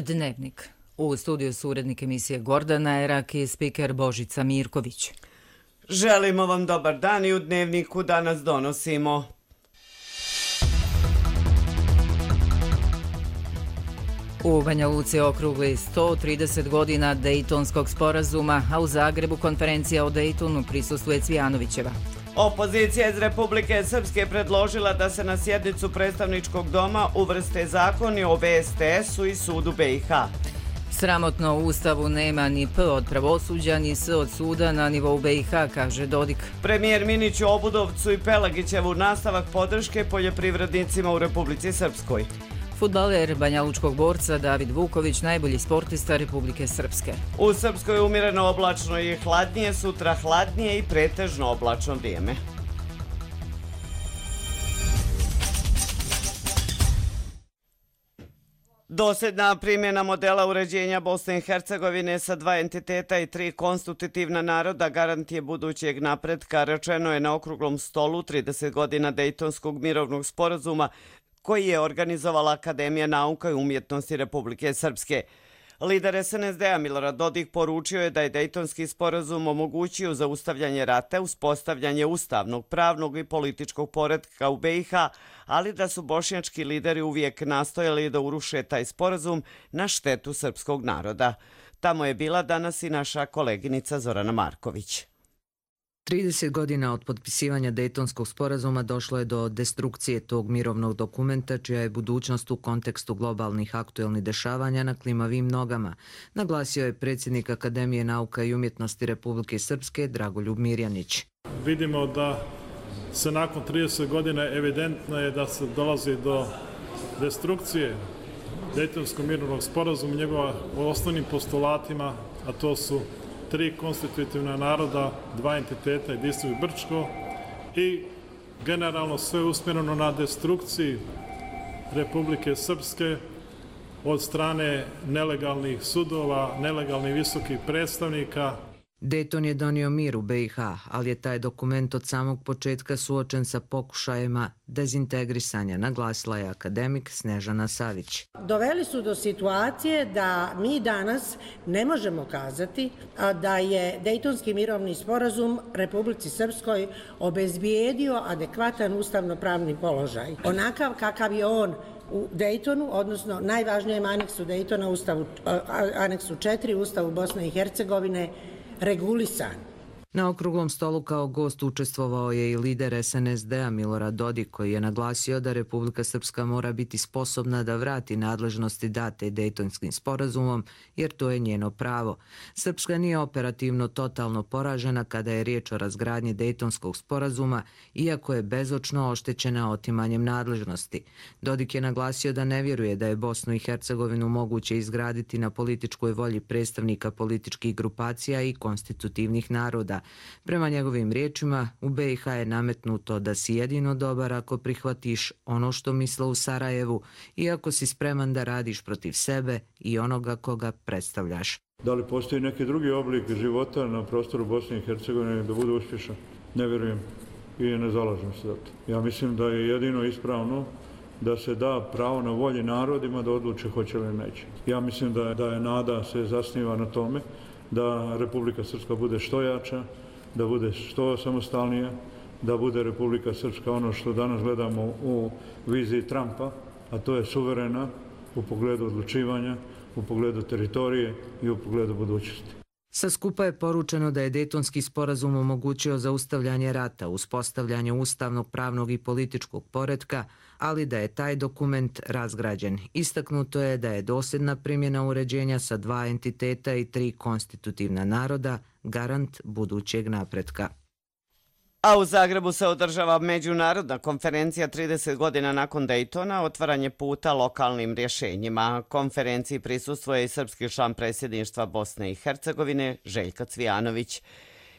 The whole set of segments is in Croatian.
Dnevnik. U studiju su urednik emisije Gordana Erak i spiker Božica Mirković. Želimo vam dobar dan i u Dnevniku danas donosimo. U Banja Luci okrugli 130 godina Dejtonskog sporazuma, a u Zagrebu konferencija o Dejtonu prisustvuje Cvijanovićeva. Opozicija iz Republike Srpske predložila da se na sjednicu predstavničkog doma uvrste zakoni o VSTS-u i sudu BiH. Sramotno u Ustavu nema ni P od pravosuđa, ni S od suda na nivou BiH, kaže Dodik. Premijer Minić u Obudovcu i Pelagićevu nastavak podrške poljoprivrednicima u Republici Srpskoj. Fudbaler banjalučkog borca David Vuković, najbolji sportista Republike Srpske. U Srpskoj je umjereno oblačno i hladnije, sutra hladnije i pretežno oblačno vrijeme. Dosljedna primjena modela uređenja Bosne i Hercegovine sa 2 entiteta i 3 konstitutivna naroda garant je budućeg napretka, rečeno je na okruglom stolu 30 godina Dejtonskog mirovnog sporazuma koji je organizovala Akademija nauka i umjetnosti Republike Srpske. Lider SNSD-a Milorad Dodik poručio je da je Dejtonski sporazum omogućio zaustavljanje rata, uspostavljanje ustavnog, pravnog i političkog poretka u BiH, ali da su bošnjački lideri uvijek nastojali da uruše taj sporazum na štetu srpskog naroda. Tamo je bila danas i naša koleginica Zorana Marković. 30 godina od potpisivanja Dejtonskog sporazuma došlo je do destrukcije tog mirovnog dokumenta, čija je budućnost u kontekstu globalnih aktuelnih dešavanja na klimavim nogama, naglasio je predsjednik Akademije nauka i umjetnosti Republike Srpske Dragoljub Mirjanić. Vidimo da se nakon 30 godina evidentno je da se dolazi do destrukcije Dejtonskog mirovnog sporazuma, njegova osnovnim postulatima, a to su 3 konstitutivna naroda, 2 entiteta, Jedinstvo i Brčko, i generalno sve usmjereno na destrukciji Republike Srpske od strane nelegalnih sudova, nelegalnih visokih predstavnika. Dejton je donio mir u BiH, ali je taj dokument od samog početka suočen sa pokušajima dezintegrisanja, naglasila je akademik Snežana Savić. Doveli su do situacije da mi danas ne možemo kazati da je Dejtonski mirovni sporazum Republici Srpskoj obezbijedio adekvatan ustavno-pravni položaj. Onakav kakav je on u Dejtonu, odnosno najvažnijem aneksu Dejtona, aneksu 4 Ustavu Bosne i Hercegovine, regulisan. Na okruglom stolu kao gost učestvovao je i lider SNSD-a Milorad Dodik, koji je naglasio da Republika Srpska mora biti sposobna da vrati nadležnosti date Dejtonskim sporazumom, jer to je njeno pravo. Srpska nije operativno totalno poražena kada je riječ o razgradnji Dejtonskog sporazuma, iako je bezočno oštećena otimanjem nadležnosti. Dodik je naglasio da ne vjeruje da je Bosnu i Hercegovinu moguće izgraditi na političkoj volji predstavnika političkih grupacija i konstitutivnih naroda. Prema njegovim riječima, u BiH je nametnuto da si jedino dobar ako prihvatiš ono što misle u Sarajevu i ako si spreman da radiš protiv sebe i onoga koga predstavljaš. Da li postoji neki drugi oblik života na prostoru Bosne i Hercegovine da bude uspješan? Ne vjerujem i ne zalažem se za to. Ja mislim da je jedino ispravno da se da pravo na volji narodima da odluče hoće li neće. Ja mislim da je nada se zasniva na tome da Republika Srpska bude što jača, da bude što samostalnija, da bude Republika Srpska ono što danas gledamo u viziji Trumpa, a to je suverena u pogledu odlučivanja, u pogledu teritorije i u pogledu budućnosti. Sa skupa je poručeno da je Dejtonski sporazum omogućio zaustavljanje rata, uspostavljanje ustavnog, pravnog i političkog poretka, ali da je taj dokument razgrađen. Istaknuto je da je dosljedna primjena uređenja sa 2 entiteta i 3 konstitutivna naroda garant budućeg napretka. A u Zagrebu se održava međunarodna konferencija 30 godina nakon Dejtona, otvaranje puta lokalnim rješenjima. Konferenciji prisustvuje i srpski član predsjedništva Bosne i Hercegovine Željko Cvijanović.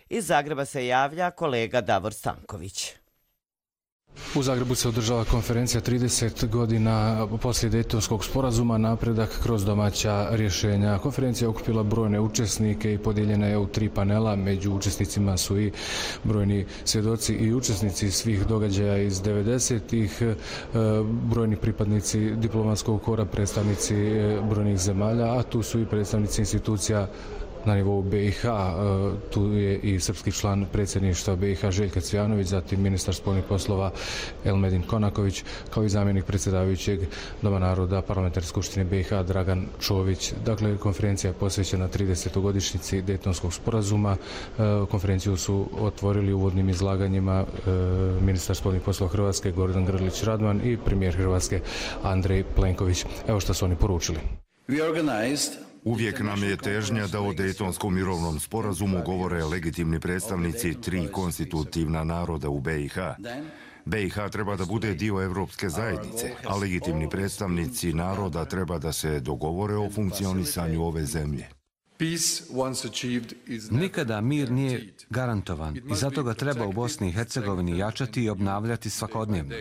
Iz Zagreba se javlja kolega Davor Stanković. U Zagrebu se održava konferencija 30 godina poslije Dejtonskog sporazuma, napredak kroz domaća rješenja. Konferencija je okupila brojne učesnike i podijeljena je u 3 panela. Među učesnicima su i brojni svjedoci i učesnici svih događaja iz 90-ih, brojni pripadnici diplomatskog kora, predstavnici brojnih zemalja, a tu su i predstavnici institucija na nivou BiH. Tu je i srpski član predsjedništva BiH Željka Cvijanović, zatim ministar spoljnih poslova Elmedin Konaković, kao i zamjenik predsjedavajućeg Doma naroda Parlamentarne skupštine BiH Dragan Čović. Dakle, konferencija je posvećena 30. godišnjici Dejtonskog sporazuma. Konferenciju su otvorili uvodnim izlaganjima ministar spoljnih poslova Hrvatske Gordan Grlić Radman i premijer Hrvatske Andrej Plenković. Evo što su oni poručili. Uvijek nam je težnja da o Dejtonskom mirovnom sporazumu govore legitimni predstavnici 3 konstitutivna naroda u BiH. BiH treba da bude dio Evropske zajednice, a legitimni predstavnici naroda treba da se dogovore o funkcionisanju ove zemlje. Nikada mir nije garantovan i zato ga treba u Bosni i Hercegovini jačati i obnavljati svakodnevno.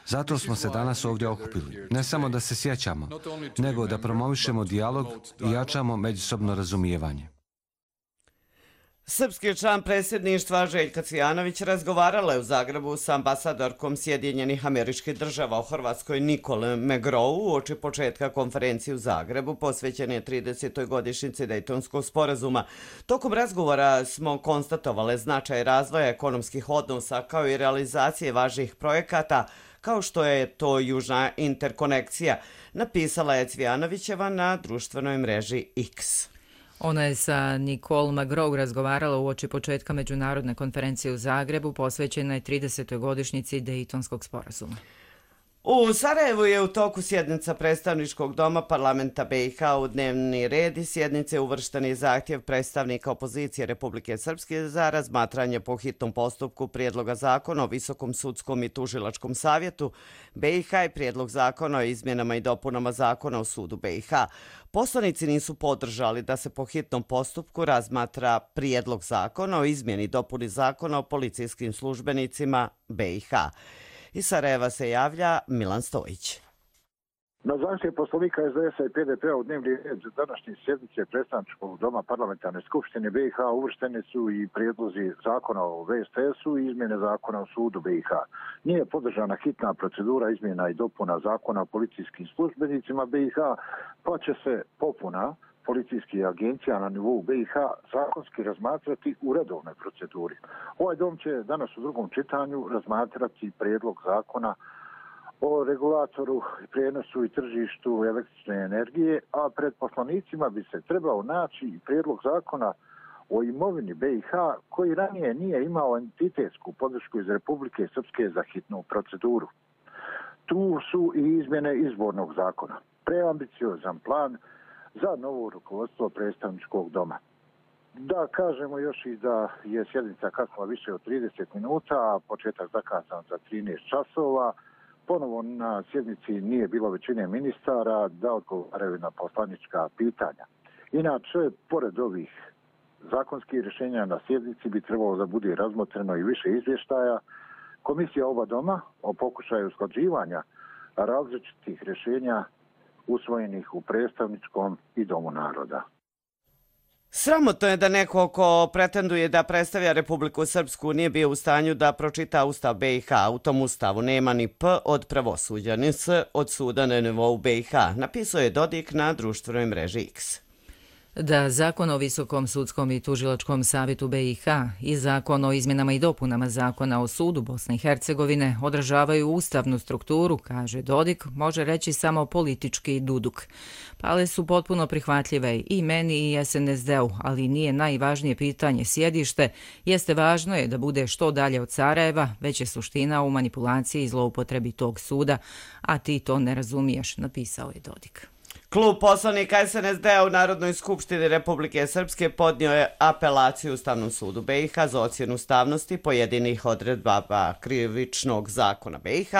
Zato smo se danas ovdje okupili, ne samo da se sjećamo, nego da promovišemo dijalog i jačamo međusobno razumijevanje. Srpski član predsjedništva Željka Cvijanović razgovarala je u Zagrebu sa ambasadorkom Sjedinjenih Američkih Država u Hrvatskoj Nicole McGraw uoči početka konferencije u Zagrebu posvećene 30. godišnjici Dejtonskog sporazuma. Tokom razgovora smo konstatovali značaj razvoja ekonomskih odnosa kao i realizacije važnih projekata kao što je to južna interkonekcija, napisala je Cvijanovićeva na društvenoj mreži X. Ona je sa Nicole McGraw razgovarala uoči početka međunarodne konferencije u Zagrebu posvećenoj 30. godišnjici Dejtonskog sporazuma. U Sarajevu je u toku sjednica predstavničkog doma parlamenta BiH. U dnevni red i sjednice uvršten je zahtjev predstavnika opozicije Republike Srpske za razmatranje po hitnom postupku prijedloga zakona o Visokom sudskom i tužilačkom savjetu BiH i prijedlog zakona o izmjenama i dopunama zakona o sudu BiH. Poslanici nisu podržali da se po hitnom postupku razmatra prijedlog zakona o izmjeni i dopuni zakona o policijskim službenicima BiH. Iz Sarajeva se javlja Milan Stojić. Na zahtjev poslanika SDS-a i PDP-a u dnevni red današnje sjednice predstavničkog doma parlamentarne skupštine BiH uvršteni su i prijedlozi zakona o VSTS-u i izmjene zakona o sudu BiH. Nije podržana hitna procedura izmjena i dopuna zakona o policijskim službenicima BiH, pa će se popuna policijskih agencija na nivou BiH zakonski razmatrati u redovnoj proceduri. Ovaj dom će danas u drugom čitanju razmatrati prijedlog zakona o regulatoru, prijenosu i tržištu električne energije, a pred poslanicima bi se trebao naći i prijedlog zakona o imovini BiH koji ranije nije imao entitetsku podršku iz Republike Srpske za hitnu proceduru. Tu su i izmjene izbornog zakona, preambiciozan plan za novo rukovodstvo predstavničkog doma. Da kažemo još i da je sjednica kasnila više od 30 minuta, a početak zakazan za 13 časova. Ponovo na sjednici nije bilo većine ministara da odgovaraju na poslanička pitanja. Inače, pored ovih zakonskih rješenja na sjednici bi trebalo da bude razmotreno i više izvještaja Komisija oba doma o pokušaju usklađivanja različitih rješenja usvojenih u predstavničkom i Domu naroda. Sramotno je da neko ko pretenduje da predstavlja Republiku Srpsku nije bio u stanju da pročita Ustav BiH. U tom Ustavu nema ni P od pravosuđa, ni S od suda na nivou BiH, napisao je Dodik na društvenoj mreži X. Da Zakon o Visokom sudskom i tužilačkom savjetu BiH i Zakon o izmjenama i dopunama Zakona o sudu Bosne i Hercegovine odražavaju ustavnu strukturu, kaže Dodik, može reći samo politički duduk. Pale su potpuno prihvatljive i meni i SNSD-u, ali nije najvažnije pitanje sjedište, jeste važno je da bude što dalje od Sarajeva, već je suština u manipulaciji i zloupotrebi tog suda, a ti to ne razumiješ, napisao je Dodik. Klub poslanika SNSD-a u Narodnoj skupštini Republike Srpske podnio je apelaciju Ustavnom sudu BiH za ocjenu ustavnosti pojedinih odredbama Krivičnog zakona BiH,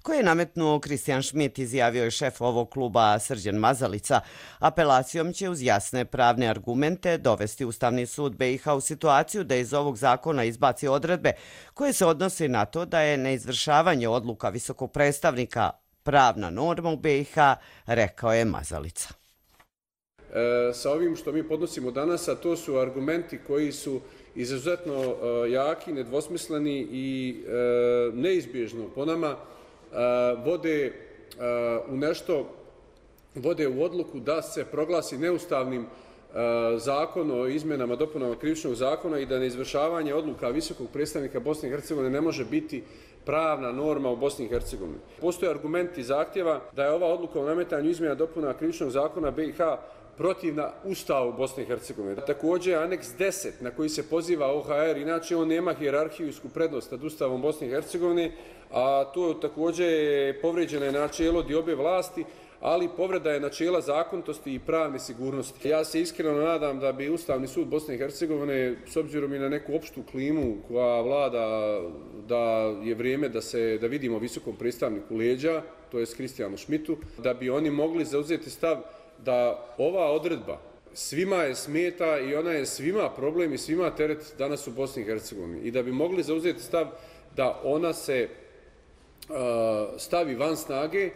koje je nametnuo Kristijan Šmit, izjavio je šef ovog kluba Srđan Mazalica. Apelacijom će uz jasne pravne argumente dovesti Ustavni sud BiH u situaciju da iz ovog zakona izbaci odredbe koje se odnose na to da je neizvršavanje odluka visokog predstavnika pravna norma u BiH, rekao je Mazalica. Sa ovim što mi podnosimo danas, a to su argumenti koji su izuzetno jaki, nedvosmisleni i neizbježno po nama vode u odluku da se proglasi neustavnim zakon o izmjenama dopunama Krivičnog zakona i da neizvršavanje odluka visokog predstavnika Bosne i Hercegovine ne može biti pravna norma u Bosni i Hercegovini. Postoje argumenti zahtjeva da je ova odluka o nametanju izmjena dopuna Krivičnog zakona BiH protivna Ustavu Bosne i Hercegovine. Također, aneks 10 na koji se poziva OHR, inače on nema hijerarhijsku prednost nad Ustavom Bosne i Hercegovine, a to također je povređeno načelo diobe vlasti, ali povreda je načela zakonitosti i pravne sigurnosti. Ja se iskreno nadam da bi Ustavni sud Bosne i Hercegovine, s obzirom i na neku opštu klimu koja vlada, da je vrijeme da vidimo visokom predstavniku leđa, to je Kristijanu Šmitu, da bi oni mogli zauzeti stav da ova odredba svima je smeta i ona je svima problem i svima teret danas u Bosni i Hercegovini. I da bi mogli zauzeti stav da ona se stavi van snage.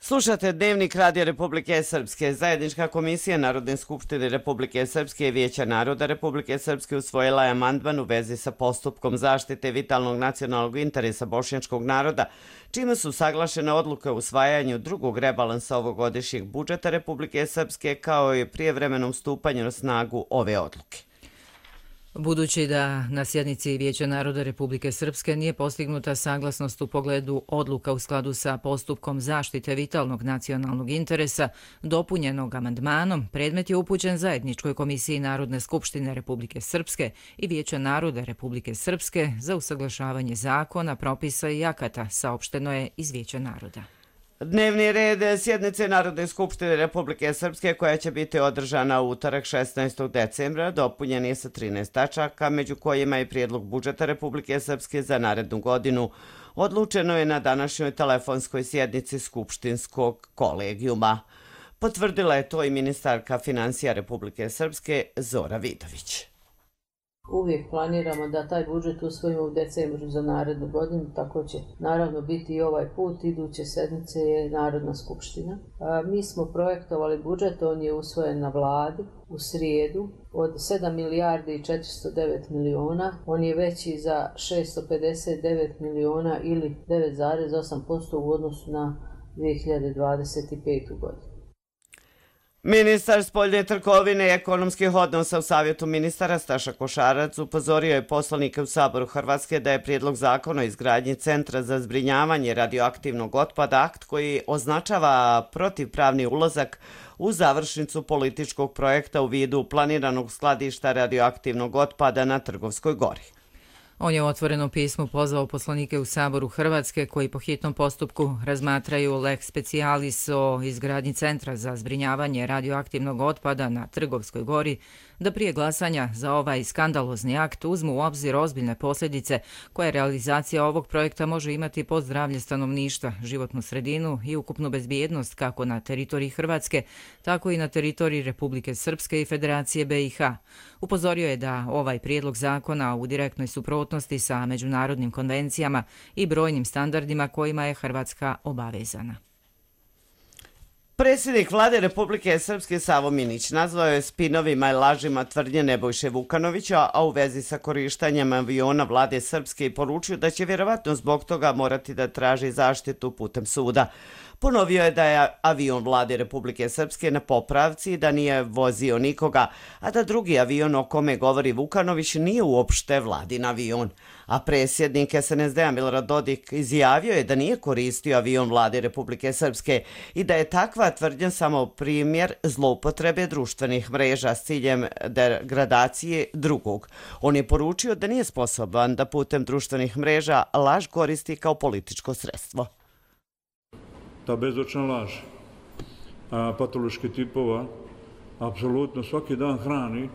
Slušate Dnevnik Radija Republike Srpske. Zajednička komisija Narodne skupštine Republike Srpske i Vijeća naroda Republike Srpske usvojila je amandman u vezi sa postupkom zaštite vitalnog nacionalnog interesa bošnjačkog naroda, čime su saglašene odluke o usvajanju drugog rebalansa ovogodišnjeg budžeta Republike Srpske kao i prijevremenom stupanju na snagu ove odluke. Budući da na sjednici Vijeća naroda Republike Srpske nije postignuta saglasnost u pogledu odluka u skladu sa postupkom zaštite vitalnog nacionalnog interesa, dopunjenog amandmanom, predmet je upućen Zajedničkoj komisiji Narodne skupštine Republike Srpske i Vijeća naroda Republike Srpske za usaglašavanje zakona, propisa i akata, saopšteno je iz Vijeća naroda. Dnevni red sjednice Narodne skupštine Republike Srpske, koja će biti održana u utorak 16. decembra, dopunjen je sa 13 tačaka, među kojima je prijedlog budžeta Republike Srpske za narednu godinu. Odlučeno je na današnjoj telefonskoj sjednici Skupštinskog kolegijuma. Potvrdila je to i ministarka financija Republike Srpske Zora Vidović. Uvijek planiramo da taj budžet usvojimo u decembru za narednu godinu, tako će naravno biti i ovaj put. Iduće sedmice je Narodna skupština. Mi smo projektovali budžet, on je usvojen na vladi u srijedu od 7 milijardi i 409 miliona. On je veći za 659 miliona ili 9,8% u odnosu na 2025. godinu. Ministar spoljne trgovine i ekonomskih odnosa u Savjetu ministara Staša Košarac upozorio je poslanike u Saboru Hrvatske da je prijedlog zakona o izgradnji Centra za zbrinjavanje radioaktivnog otpada akt koji označava protivpravni ulazak u završnicu političkog projekta u vidu planiranog skladišta radioaktivnog otpada na Trgovskoj gori. On je u otvorenom pismu pozvao poslanike u Saboru Hrvatske koji po hitnom postupku razmatraju lex specialis o izgradnji Centra za zbrinjavanje radioaktivnog otpada na Trgovskoj gori da prije glasanja za ovaj skandalozni akt uzmu u obzir ozbiljne posljedice koje realizacija ovog projekta može imati po zdravlje stanovništva, životnu sredinu i ukupnu bezbjednost kako na teritoriji Hrvatske, tako i na teritoriji Republike Srpske i Federacije BiH. Upozorio je da ovaj prijedlog zakona u direktnoj suprotnosti sa međunarodnim konvencijama i brojnim standardima kojima je Hrvatska obavezana. Predsjednik vlade Republike Srpske Savo Minić nazvao je spinovima i lažima tvrdnje Nebojše Vukanovića, a u vezi sa korištenjem aviona vlade Srpske i poručio da će vjerovatno zbog toga morati da traži zaštitu putem suda. Ponovio je da je avion vlade Republike Srpske na popravci, da nije vozio nikoga, a da drugi avion o kome govori Vukanović nije uopšte vladin avion. A predsjednik SNSD-a Milorad Dodik izjavio je da nije koristio avion vlade Republike Srpske i da je takva tvrdnja samo primjer zloupotrebe društvenih mreža s ciljem degradacije drugog. On je poručio da nije sposoban da putem društvenih mreža laž koristi kao političko sredstvo. ta bezočna laž patoloških tipova, apsolutno svaki dan hrani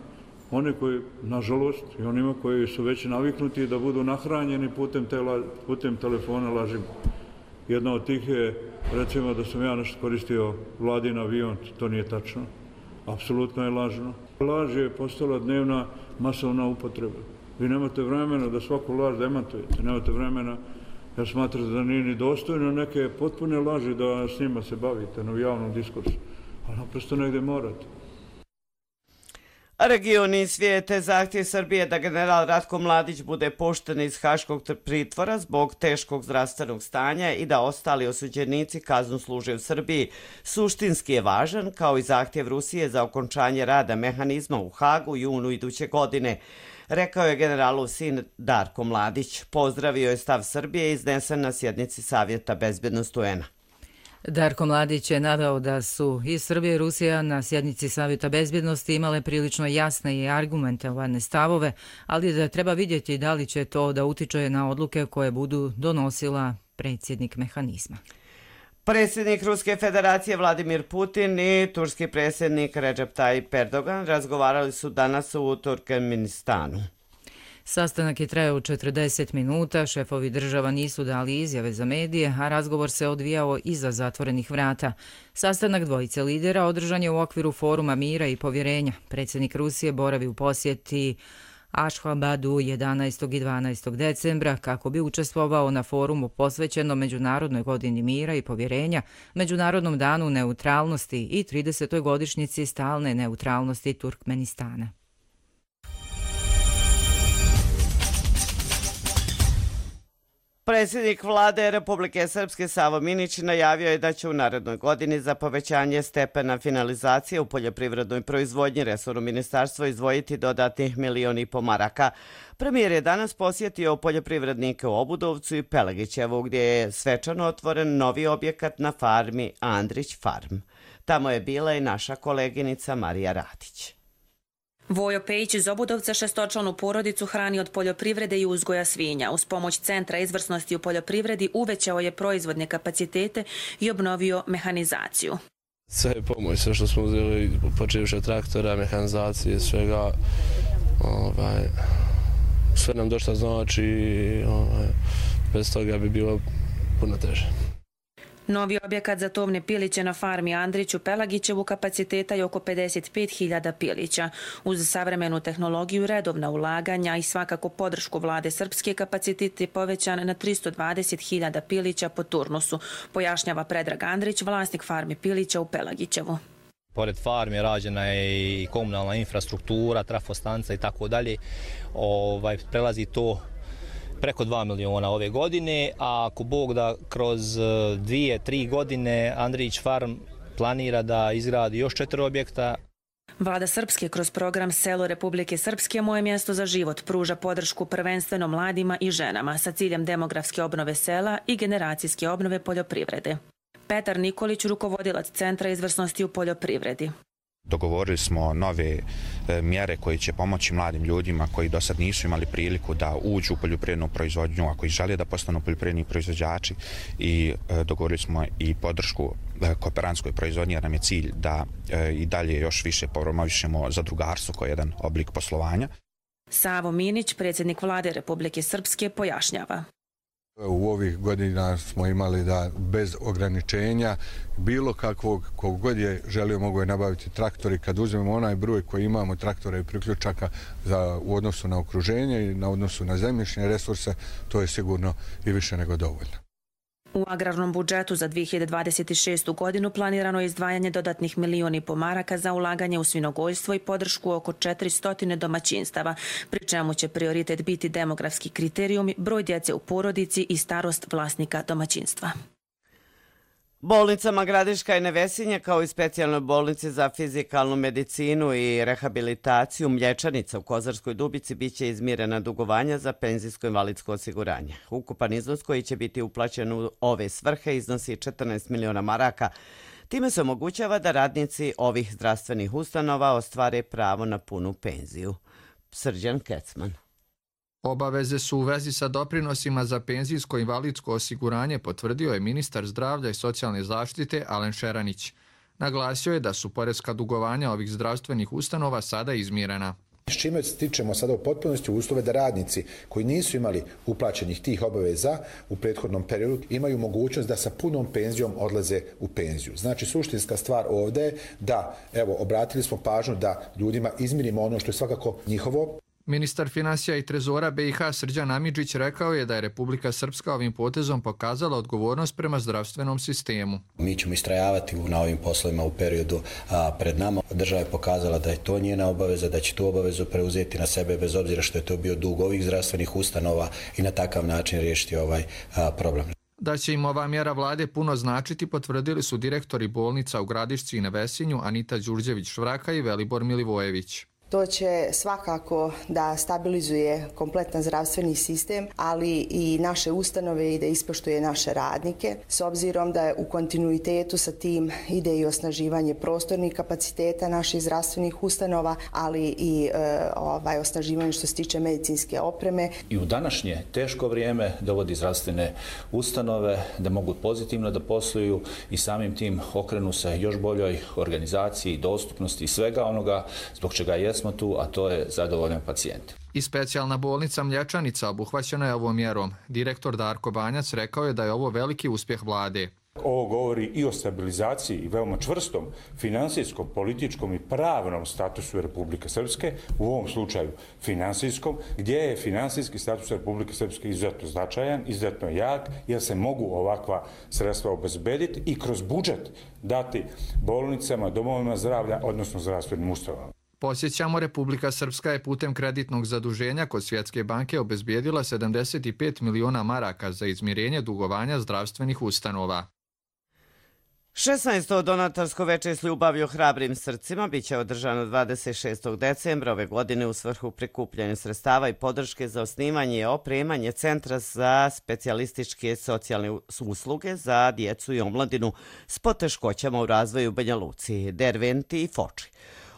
one koji, nažalost, i onima koji su već naviknuti da budu nahranjeni putem telefona lažima. Jedna od tih je, recimo, da sam ja nešto koristio vladin avion, to nije tačno. Apsolutno je lažno. Laž je postala dnevna masovna upotreba. Vi nemate vremena da svaku laž demantujete, nemate vremena, jer smatrate da nije ni dostojno neke potpune laži da s njima se bavite na javnom diskursu. Ali naprosto negde morate. Regioni svijete zahtjev Srbije da general Ratko Mladić bude pušten iz haškog pritvora zbog teškog zdravstvenog stanja i da ostali osuđenici kaznu služe u Srbiji suštinski je važan, kao i zahtjev Rusije za okončanje rada mehanizma u Hagu u junu iduće godine, rekao je generalov sin Darko Mladić. Pozdravio je stav Srbije iznesen na sjednici Savjeta bezbednosti UN-a. Darko Mladić je naveo da su i Srbija i Rusija na sjednici Savjeta bezbjednosti imale prilično jasne i argumentovane stavove, ali da treba vidjeti da li će to da utiče na odluke koje budu donosila predsjednik mehanizma. Predsjednik Ruske federacije Vladimir Putin i turski predsjednik Recep Tayyip Erdogan razgovarali su danas u Turkmenistanu. Sastanak je trajao 40 minuta, šefovi država nisu dali izjave za medije, a razgovor se odvijao iza zatvorenih vrata. Sastanak dvojice lidera održan je u okviru Foruma mira i povjerenja. Predsjednik Rusije boravi u posjeti Ašhabadu 11. i 12. decembra kako bi učestvovao na forumu posvećenom Međunarodnoj godini mira i povjerenja, Međunarodnom danu neutralnosti i 30. godišnjici stalne neutralnosti Turkmenistana. Predsjednik vlade Republike Srpske Savo Minić najavio je da će u narednoj godini za povećanje stepena finalizacije u poljoprivrednoj proizvodnji resorno ministarstvo izdvojiti dodatnih 1,5 miliona maraka. Premijer je danas posjetio poljoprivrednike u Obudovcu i Pelagićevu gdje je svečano otvoren novi objekat na farmi Andrić Farm. Tamo je bila i naša koleginica Marija Radić. Vojo Pejić iz Obudovca šestočlanu porodicu hrani od poljoprivrede i uzgoja svinja. Uz pomoć Centra izvrsnosti u poljoprivredi uvećao je proizvodne kapacitete i obnovio mehanizaciju. Sve je pomoć, sve što smo uzeli, počevši od traktora, mehanizacije, svega, sve nam došlo znači, bez toga bi bilo puno teže. Novi objekat za tovne piliće na farmi Andrić u Pelagićevu kapaciteta je oko 55.000 pilića. Uz savremenu tehnologiju, redovna ulaganja i svakako podršku vlade Srpske, kapacitet je povećan na 320.000 pilića po turnusu, pojašnjava Predrag Andrić, vlasnik farme pilića u Pelagićevu. Pored farme rađena je i komunalna infrastruktura, trafostanca i tako dalje. Prelazi to preko 2 miliona ove godine, a ako Bog da kroz 2-3 godine Andrić Farm planira da izgradi još 4 objekta. Vlada Srpske kroz program Selo Republike Srpske Moje mjesto za život pruža podršku prvenstveno mladima i ženama sa ciljem demografske obnove sela i generacijske obnove poljoprivrede. Petar Nikolić, rukovodilac Centra izvrsnosti u poljoprivredi. Dogovorili smo nove mjere koje će pomoći mladim ljudima koji do sad nisu imali priliku da uđu u poljoprivrednu proizvodnju, a koji žele da postanu poljoprivredni proizvođači, i dogovorili smo i podršku kooperantskoj proizvodnji, jer nam je cilj da i dalje još više promovišemo zadrugarstvo kao jedan oblik poslovanja. Savo Minić, predsjednik vlade Republike Srpske, pojašnjava. U ovih godina smo imali da bez ograničenja bilo kakvog, kogod je želio mogo je nabaviti traktor, i kad uzmemo onaj broj koji imamo traktora i priključaka u odnosu na okruženje i na odnosu na zemljišne resurse, to je sigurno i više nego dovoljno. U agrarnom budžetu za 2026. godinu planirano je izdvajanje dodatnih 1,5 miliona maraka za ulaganje u svinjogojstvo i podršku oko 400 domaćinstava, pri čemu će prioritet biti demografski kriterijumi, broj djece u porodici i starost vlasnika domaćinstva. Bolnicama Gradiška i Nevesinje, kao i specijalnoj bolnici za fizikalnu medicinu i rehabilitaciju Mlječanica u Kozarskoj Dubici, biće izmirena dugovanja za penzijsko-invalidsko osiguranje. Ukupan iznos koji će biti uplaćen u ove svrhe iznosi 14 miliona maraka. Time se omogućava da radnici ovih zdravstvenih ustanova ostvare pravo na punu penziju. Srđan Kecman. Obaveze su u vezi sa doprinosima za penzijsko i invalidsko osiguranje, potvrdio je ministar zdravlja i socijalne zaštite Alen Šeranić. Naglasio je da su poreska dugovanja ovih zdravstvenih ustanova sada izmirena. S čime stičemo sada u potpunosti uslove da radnici koji nisu imali uplaćenih tih obaveza u prethodnom periodu imaju mogućnost da sa punom penzijom odlaze u penziju. Znači, suštinska stvar ovdje je da, evo, obratili smo pažnju da ljudima izmirimo ono što je svakako njihovo. Ministar finansija i trezora BiH Srđan Amidžić rekao je da je Republika Srpska ovim potezom pokazala odgovornost prema zdravstvenom sistemu. Mi ćemo istrajavati na ovim poslovima u periodu pred nama. Država je pokazala da je to njena obaveza, da će tu obavezu preuzeti na sebe bez obzira što je to bio dug ovih zdravstvenih ustanova i na takav način riješiti ovaj problem. Da će im ova mjera vlade puno značiti, potvrdili su direktori bolnica u Gradišci i Nevesinju Anita Đurđević-Švraka i Velibor Milivojević. To će svakako da stabilizuje kompletan zdravstveni sistem, ali i naše ustanove i da ispoštuje naše radnike. S obzirom da je u kontinuitetu sa tim ide i osnaživanje prostornih kapaciteta naših zdravstvenih ustanova, ali i osnaživanje što se tiče medicinske opreme. I u današnje teško vrijeme dovodi zdravstvene ustanove da mogu pozitivno da posluju i samim tim okrenu se još boljoj organizaciji, dostupnosti i svega onoga zbog čega je smo tu, a to je zadovoljan pacijent. I specijalna bolnica Mlječanica obuhvaćena je ovom mjerom. Direktor Darko Banjac rekao je da je ovo veliki uspjeh vlade. Ovo govori i o stabilizaciji i veoma čvrstom finansijskom, političkom i pravnom statusu Republike Srpske, u ovom slučaju finansijskom, gdje je finansijski status Republike Srpske izuzetno značajan, izuzetno jak, jer se mogu ovakva sredstva obezbediti i kroz budžet dati bolnicama, domovima zdravlja, odnosno zdravstvenim ustanovama. Posjećamo, Republika Srpska je putem kreditnog zaduženja kod Svjetske banke obezbijedila 75 miliona maraka za izmirenje dugovanja zdravstvenih ustanova. 16. donatorsko veče s ljubavlju hrabrim srcima biće održano 26. decembra ove godine u svrhu prikupljanja sredstava i podrške za osnivanje i opremanje Centra za specijalističke socijalne usluge za djecu i omladinu s poteškoćama u razvoju Banja Luci, Derventi i Foči.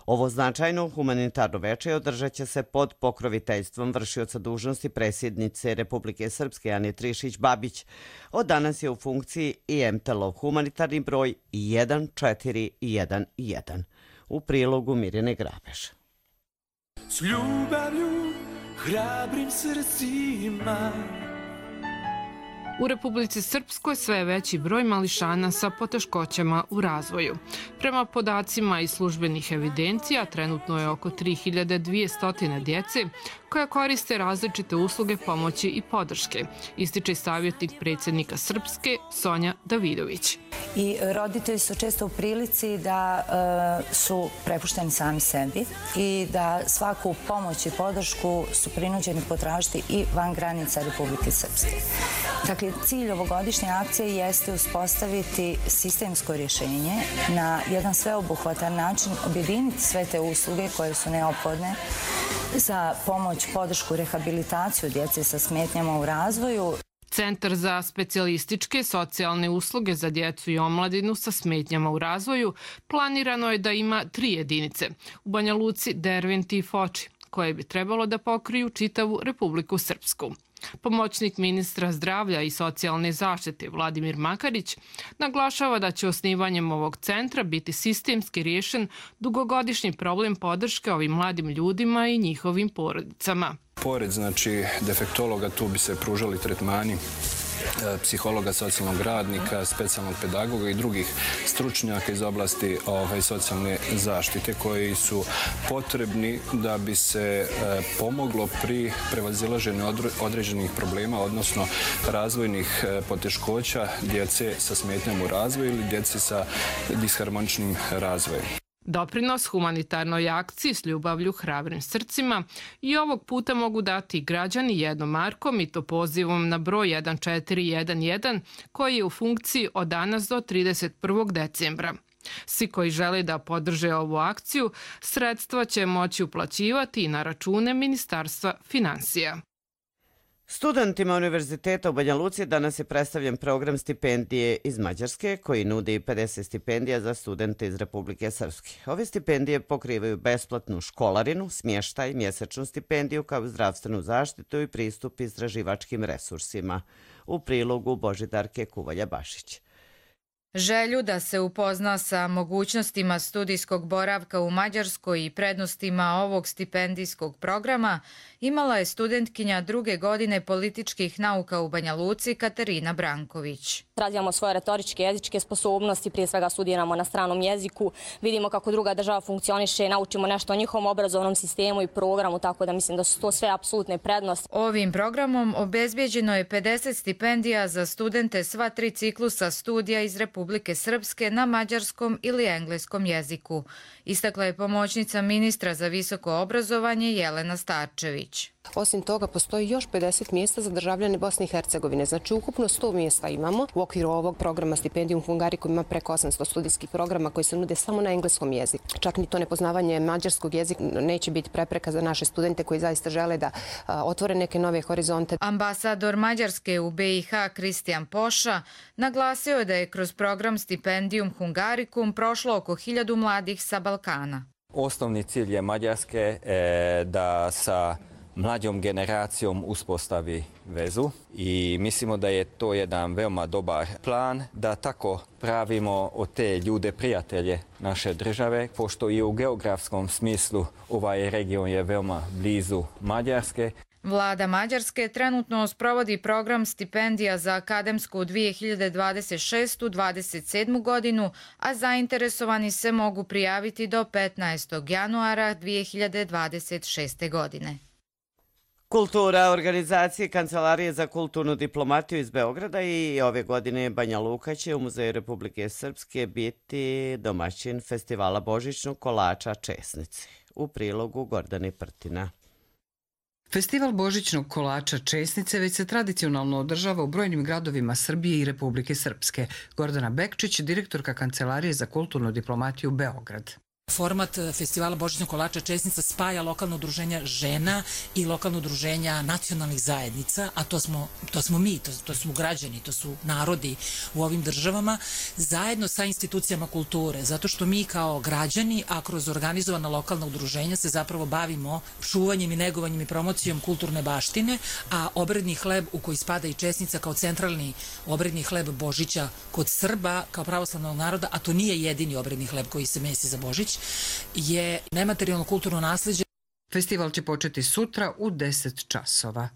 Ovo značajno humanitarno veče održat će se pod pokroviteljstvom vršioca dužnosti predsjednice Republike Srpske Ane Trišić-Babić. Od danas je u funkciji i MTL-ov humanitarni broj 1411. U prilogu Mirjane Grabež. S ljubavlju, hrabrim srcima. U Republici Srpskoj sve je veći broj mališana sa poteškoćama u razvoju. Prema podacima iz službenih evidencija, trenutno je oko 3200 djece koja koriste različite usluge pomoći i podrške, ističe savjetnik predsjednika Srpske Sonja Davidović. I roditelji su često u prilici da su prepušteni sami sebi i da svaku pomoć i podršku su prinuđeni potražiti i van granica Republike Srpske. Dakle, cilj ovogodišnje akcije jeste uspostaviti sistemsko rješenje, na jedan sveobuhvatan način objediniti sve te usluge koje su neophodne za pomoć, podršku, rehabilitaciju djece sa smetnjama u razvoju. Centar za specijalističke socijalne usluge za djecu i omladinu sa smetnjama u razvoju planirano je da ima 3 jedinice u Banja Luci, Derventi i Foči, koje bi trebalo da pokriju čitavu Republiku Srpsku. Pomoćnik ministra zdravlja i socijalne zaštite Vladimir Makarić naglašava da će osnivanjem ovog centra biti sistemski riješen dugogodišnji problem podrške ovim mladim ljudima i njihovim porodicama. Pored defektologa tu bi se pružali tretmani psihologa, socijalnog radnika, specijalnog pedagoga i drugih stručnjaka iz oblasti socijalne zaštite koji su potrebni da bi se pomoglo pri prevazilaženju određenih problema, odnosno razvojnih poteškoća djece sa smetnjama u razvoju ili djece sa disharmoničnim razvojem. Doprinos humanitarnoj akciji s ljubavlju hrabrim srcima i ovog puta mogu dati građani jednom markom i to pozivom na broj 1411 koji je u funkciji od danas do 31. decembra. Svi koji žele da podrže ovu akciju, sredstva će moći uplaćivati i na račune Ministarstva finansija. Studentima Univerziteta u Banja Luci danas je predstavljen program stipendije iz Mađarske koji nudi 50 stipendija za studente iz Republike Srpske. Ove stipendije pokrivaju besplatnu školarinu, smještaj, mjesečnu stipendiju kao i zdravstvenu zaštitu i pristup istraživačkim resursima. U prilogu Božidarke Kuvalja-Bašić. Želju da se upozna sa mogućnostima studijskog boravka u Mađarskoj i prednostima ovog stipendijskog programa imala je studentkinja 2. godine političkih nauka u Banja Luci Katarina Branković. Razvijamo svoje retoričke jezičke sposobnosti, prije svega studiramo na stranom jeziku, vidimo kako druga država funkcioniše, naučimo nešto o njihovom obrazovnom sistemu i programu, tako da mislim da su to sve apsolutne prednosti. Ovim programom obezbijeđeno je 50 stipendija za studente sva 3 ciklusa studija iz Republike Srpske na mađarskom ili engleskom jeziku, istakla je pomoćnica ministra za visoko obrazovanje Jelena Starčević. Osim toga, postoji još 50 mjesta za državljane Bosne i Hercegovine. Znači, ukupno 100 mjesta imamo. U okviru ovog programa Stipendijum Hungarikum ima preko 800 studijskih programa koji se nude samo na engleskom jeziku. Čak ni to nepoznavanje mađarskog jezika neće biti prepreka za naše studente koji zaista žele da otvore neke nove horizonte. Ambasador Mađarske u BiH Kristijan Poša naglasio je da je kroz program Stipendijum Hungarikum prošlo oko 1000 mladih sa Balkana. Osnovni cilj je Mađarske da sa mlađom generacijom uspostavi vezu i mislimo da je to jedan veoma dobar plan da tako pravimo od te ljude prijatelje naše države, pošto i u geografskom smislu ovaj region je veoma blizu Mađarske. Vlada Mađarske trenutno sprovodi program stipendija za akademsku 2026-27 godinu, a zainteresovani se mogu prijaviti do 15. januara 2026. godine. Kultura organizacije Kancelarije za kulturnu diplomatiju iz Beograda i ove godine Banja Luka će u Muzeju Republike Srpske biti domaćin festivala božićnog kolača Česnice. U prilogu Gordane Prtina. Festival božićnog kolača Česnice već se tradicionalno održava u brojnim gradovima Srbije i Republike Srpske. Gordana Bekčić, direktorka Kancelarije za kulturnu diplomatiju Beograd. Format festivala božićnog kolača Česnica spaja lokalno udruženja žena i lokalno udruženja nacionalnih zajednica, a to smo mi, to su građani, to su narodi u ovim državama, zajedno sa institucijama kulture, zato što mi kao građani, a kroz organizovana lokalna udruženja se zapravo bavimo čuvanjem i negovanjem i promocijom kulturne baštine, a obredni hleb u koji spada i Česnica kao centralni obredni hleb Božića kod Srba, kao pravoslavnog naroda, a to nije jedini obredni hleb koji se mesi za Božić, je nematerijalno kulturno nasljeđe. Festival će početi sutra u 10 časova.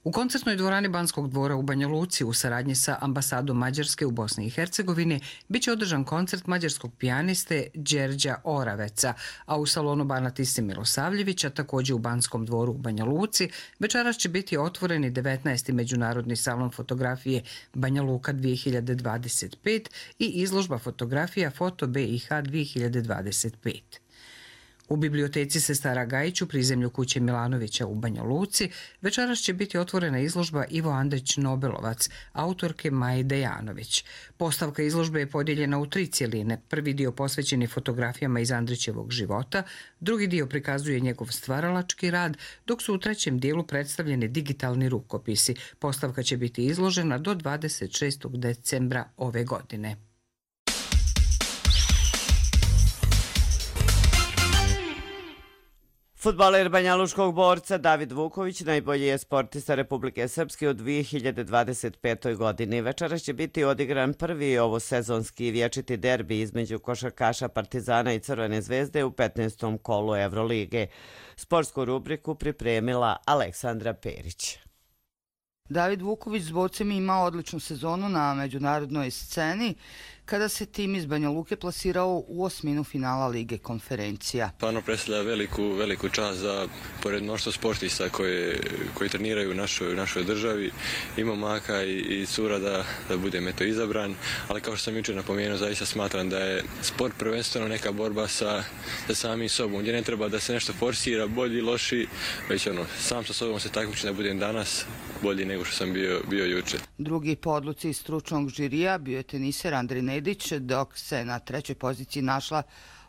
U koncertnoj dvorani Banskog dvora u Banja Luci u saradnji sa ambasadom Mađarske u Bosni i Hercegovini biće održan koncert mađarskog pijaniste Đerđa Oraveca, a u salonu Bana Tise Milosavljevića, također u Banskom dvoru u Banja Luci, večeras će biti otvoreni 19. Međunarodni salon fotografije Banja Luka 2025 i izložba fotografija Foto BiH 2025. U biblioteci Sestara Gajić u prizemlju kuće Milanovića u Banja Luci večeras će biti otvorena izložba Ivo Andrić Nobelovac, autorke Maje Dejanović. Postavka izložbe je podijeljena u 3 cjeline. Prvi dio posvećen je fotografijama iz Andrićevog života, drugi dio prikazuje njegov stvaralački rad, dok su u trećem dijelu predstavljeni digitalni rukopisi. Postavka će biti izložena do 26. decembra ove godine. Fudbaler banjalučkog borca David Vuković najbolji je sportista Republike Srpske u 2025. godini. Večeras će biti odigran prvi ovosezonski vječiti derbi između košarkaša Partizana i Crvene zvezde u 15. kolu Evrolige. Sportsku rubriku pripremila Aleksandra Perić. David Vuković s borcem ima odličnu sezonu na međunarodnoj sceni kada se tim iz Banja Luke plasirao u osminu finala Lige konferencija. Stvarno predstavlja veliku čast za, pored mnoštvo sportista koji treniraju u našoj državi, i momaka i cura da budem izabran, ali kao što sam jučer napomenuo, zaista smatram da je sport prvenstveno neka borba sa samim sobom, gdje ne treba da se nešto forsira, bolji, loši, već sam sa sobom se takmičim da budem danas bolji nego što sam bio jučer. Drugi po odluci stručnog žirija bio je teniser Andrej Nedić, dok se na trećoj poziciji našla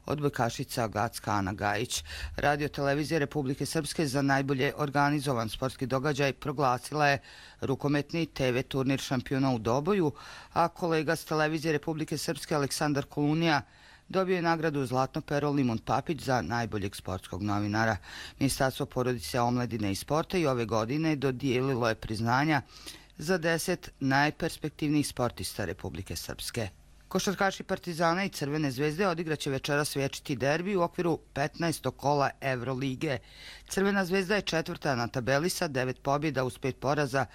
odbojkašica Gacka Ana Gajić. Radio televizija Republike Srpske za najbolje organizovan sportski događaj proglasila je rukometni TV turnir šampiona u Doboju, a kolega s televizije Republike Srpske Aleksandar Kolunija dobio je nagradu Zlatno pero Limun Papić za najboljeg sportskog novinara. Ministarstvo porodice, omladine i sporta i ove godine dodijelilo je priznanja za 10 najperspektivnijih sportista Republike Srpske. Košarkaši Partizana i Crvene zvezde odigraće večeras večiti derbi u okviru 15. kola Evrolige. Crvena zvezda je četvrta na tabeli sa 9 pobjeda uz 5 poraza,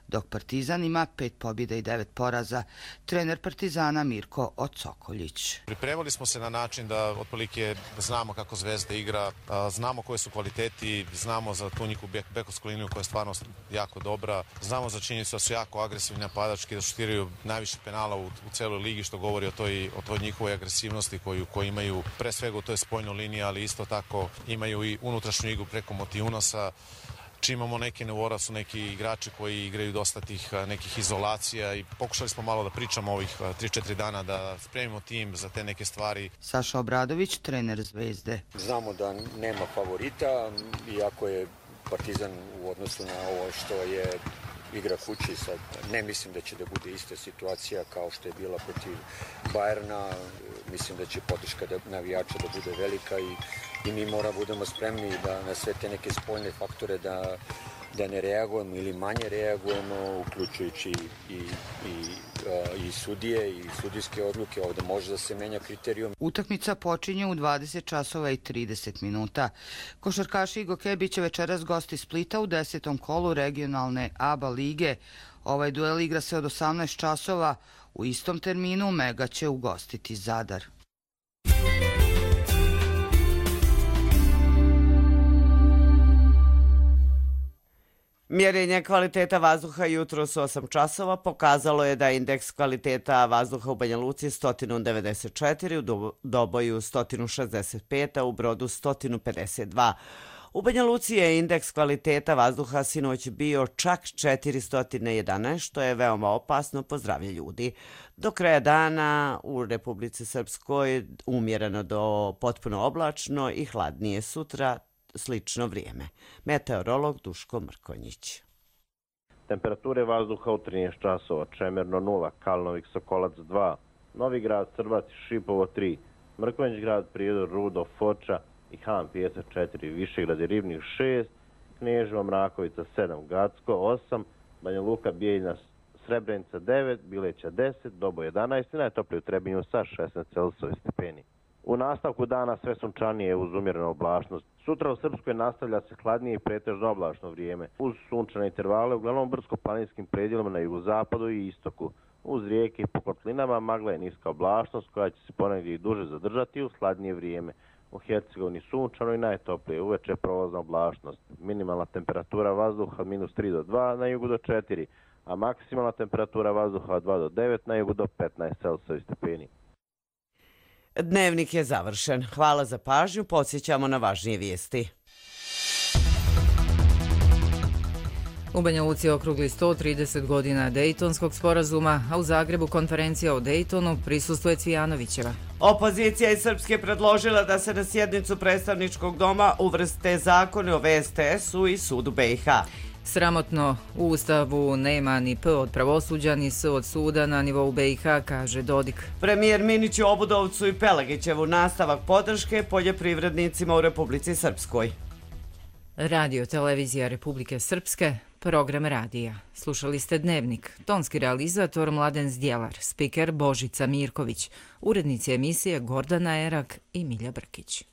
dok Partizan ima 5 pobjeda i 9 poraza. Trener Partizana Mirko Ocokoljić. Pripremili smo se na način da otprilike znamo kako Zvezda igra, znamo koje su kvaliteti, znamo za tu njihovu bekovsku liniju koja je stvarno jako dobra, znamo za činjenicu da su jako agresivni napadački, da šutiraju najviše penala u celoj ligi, što govori o toj njihovoj agresivnosti koju imaju pre svega u toj spoljnoj liniji, ali isto tako imaju i unutrašnju igru preko motivunosa. Čim imamo neke nevora, su neki igrači koji igraju dosta tih nekih izolacija i pokušali smo malo da pričamo ovih 3-4 dana, da spremimo tim za te neke stvari. Saša Obradović, trener Zvezde. Znamo da nema favorita, iako je Partizan u odnosu na ovo što je igra kući, sad ne mislim da će da bude ista situacija kao što je bila protiv Bajerna. Mislim da će podrška navijača da bude velika i mi moramo budemo spremni da na sve te neke spoljne faktore da ne reagujemo ili manje reagujemo, uključujući i sudije i sudijske odluke. Ovdje može da se menja kriterijum. Utakmica počinje u 20 časova i 30 minuta. Košarkaši Igoke biće večeras gosti Splita u 10. kolu regionalne ABA lige. Ovaj duel igra se od 18 časova. U istom terminu Mega će ugostiti Zadar. Mjerenje kvaliteta vazduha jutros u 8 časova pokazalo je da indeks kvaliteta vazduha u Banja Luci 194, u Doboju 165, a u Brodu 152. U Banja Luci je indeks kvaliteta vazduha sinoć bio čak 411, što je veoma opasno po zdravlje ljudi. Do kraja dana u Republici Srpskoj umjereno do potpuno oblačno i hladnije sutra, slično vrijeme. Meteorolog Duško Mrkonjić. Temperature vazduha u 13 časova, Čemerno 0, Kalnovik Sokolac 2, Novi Grad, Srbac i Šipovo 3, Mrkonjić grad, Prijedor, Rudo, Foča i Han Pijesak 4, Višegrad i Ribnik 6, Kneževo, Mrakovica 7, Gacko 8, Banja Luka, Bijeljina, Srebrenica 9, Bileća 10, Dobo 11 i najtoplije u Trebinju sa 16 Celsijevi stepeni. U nastavku dana sve sunčanije uz umjerenu oblačnost. Sutra u Srpskoj nastavlja se hladnije i pretežno oblačno vrijeme. Uz sunčane intervale, uglavnom brdsko-planinskim predjelima na jugozapadu i istoku. Uz rijeke i po kotlinama magla je niska oblačnost koja će se ponegdje i duže zadržati uz hladnije vrijeme. U Hercegovini sunčano i najtoplije, uveče prolazna oblačnost. Minimalna temperatura vazduha -3 do 2, na jugu do 4, a maksimalna temperatura vazduha 2 do 9, na jugu do 15 Celsijevi stepeni. Dnevnik je završen. Hvala za pažnju. Podsjećamo na važnije vijesti. U Banja Luci okrugli 130 godina Dejtonskog sporazuma, a u Zagrebu konferencija o Dejtonu prisustvuje Cvijanovićeva. Opozicija iz Srpske predložila da se na sjednicu predstavničkog doma uvrste zakone o VSTS-u i sudu BiH. Sramotno, u Ustavu nema ni P od pravosuđa, ni S od suda na nivou BiH, kaže Dodik. Premijer Minić u Obudovcu i Pelagićevu nastavak podrške poljoprivrednicima u Republici Srpskoj. Radio televizija Republike Srpske, program radija. Slušali ste Dnevnik, tonski realizator Mladen Zdjelar, spiker Božica Mirković, urednici emisije Gordana Erak i Milja Brkić.